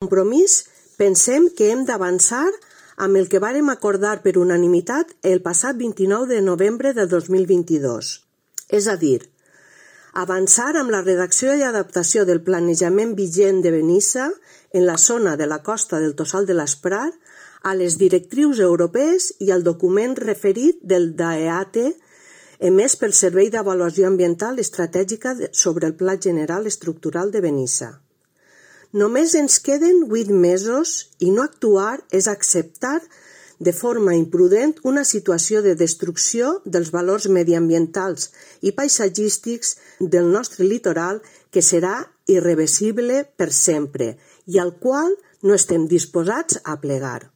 Compromís, pensem que hem d'avançar amb el que vàrem acordar per unanimitat el passat 29 de novembre del 2022. És a dir, avançar amb la redacció i adaptació del planejament vigent de Benissa en la zona de la costa del Tossal de l'Esprat a les directrius europees i al document referit del DAEAT emès pel Servei d'Avaluació Ambiental Estratègica sobre el Pla General Estructural de Benissa. Només ens queden 8 mesos i no actuar és acceptar de forma imprudent una situació de destrucció dels valors mediambientals i paisatgístics del nostre litoral que serà irreversible per sempre i al qual no estem disposats a plegar.